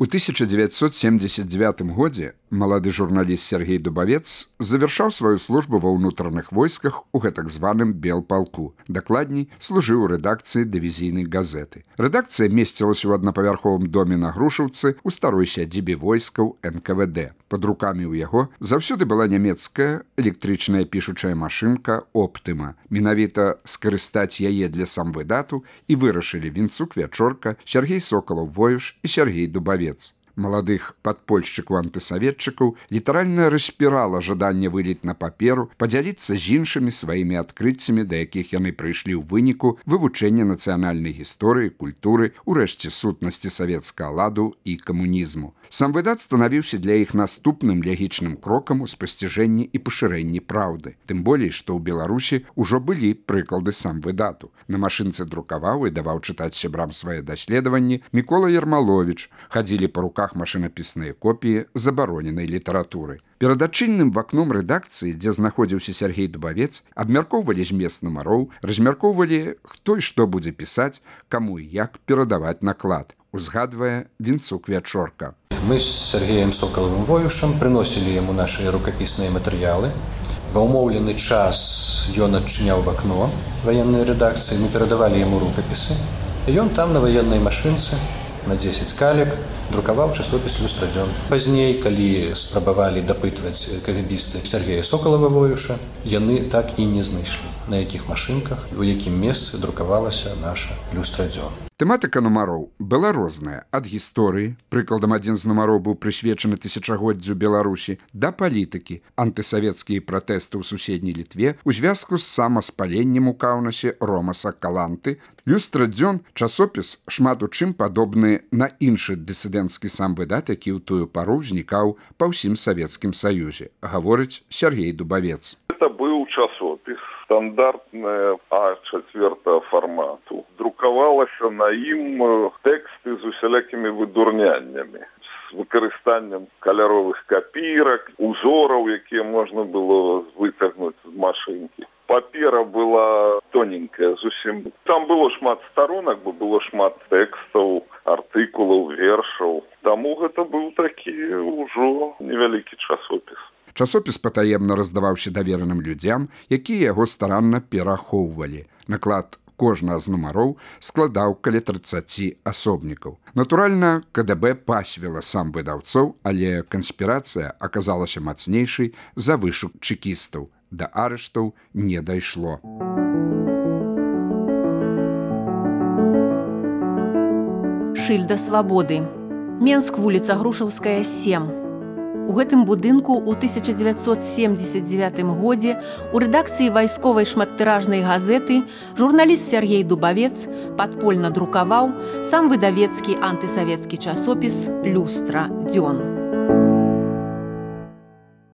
У 1979 годзе малады журналіст Сергей Дубавец завяршаў сваю службу ва ўнутраных войсках у гэтак званым Белпалку. Дакладней, служыў у рэдакцыі дывізійнай газеты. Рэдакцыя месцілася ў аднапавярховым доме на Грушаўцы ў старой сядзібе войскаў НКВД. Пад рукамі ў яго заўсёды была нямецкая электрычная пішучая машынка «Оптыма». Менавіта скарыстаць яе для самвыдату і вырашылі Вінцук Вячорка, Сергей Сокалаў-Воюш і Сергей Дубавец. Маладых падпольшчыкаў-антысаветчыкаў літаральна распірала жаданне выліць на паперу, падзяліцца з іншымі сваімі адкрыццямі, да якіх яны прыйшлі ў выніку вывучэння нацыянальнай гісторыі, культуры, урэшце сутнасці савецкага ладу і камунізму. Сам выдат станавіўся для іх наступным лягічным крокам у спасціжэнні і пашырэнні праўды. Тым болей, што ў Беларусі ўжо былі прыклады сам выдату. На машынцы друкаваў і даваў чытаць сябрам свае даследаванні Мікола Ярмаловіч. Хадзілі па руках машынапісныя копіі забароненай літаратуры. Перад адчыненым вакном рэдакцыі, дзе знаходзіўся Сергей Дубавец, абмяркоўвалі змест нумароў, размяркоўвалі, хто і што будзе пісаць, каму і як перадаваць наклад. Узгадвае Вінцук Вячорка. Мы з Сергеем Сокалавым-Воюшам прыносілі яму нашыя рукапісныя матэрыялы. Ва ўмоўлены час ён адчыняў вакно ваеннай рэдакцыі, мы перадавалі яму рукапісы. І ён там на ваеннай машынцы на 10 калек друкаваў часопіс «Люстрадзён». Пазней, калі спрабавалі дапытваць кагабісты Сергея Сокалава-Воюша, яны так і не знайшлі, на якіх машынках, у якім месцы друкавалася наша «Люстрадзён». Тэматыка нумароў была розная, ад гісторыі, прыкладам адзін з нумароў быў прысвечаны тысячагоддзю Беларусі, да палітыкі, антысавецкія пратэсты ў суседняй Літве у звязку з самаспаленнем у Каўнасе Ромаса Каланты. «Люстрадзён» – часопіс, шмат у чым падобны на іншы дысідэнцкі самвыдат, які ў тую пару ўзнікаў па ўсім Савецкім Саюзе, гаворыць Сергей Дубавец. Это быў часопіс стандартная А4 формату. Друкавалася на ім тэксты з усялякімі выдурняннямі, з выкарыстаннем каляровых капірак, узораў, якія можна было вытягнуць з машынкі. Папера была тоненькая зусім. Там было шмат сторонак, бо было шмат тэкстаў, артыкулаў, вершаў. Таму гэта быў такі ўжо невялікі часопіс. Часопіс патаемна раздаваўся давераным людзям, якія яго старанна перахоўвалі. Наклад кожнага з нумароў складаў каля 30 асобнікаў. Натуральна, КДБ пасвіла сам выдаўцоў, але канспірацыя аказалася мацнейшай за вышук чекістаў. Да арыштаў не дайшло. Шыльда свабоды. Менск, вуліца Грушаўская, 7. У гэтым будынку ў 1979 годзе у рэдакцыі вайсковай шматтыражнай газеты журналіст Сергей Дубавец падпольна друкаваў сам выдавецкі антысавецкі часопіс «Люстрадзён».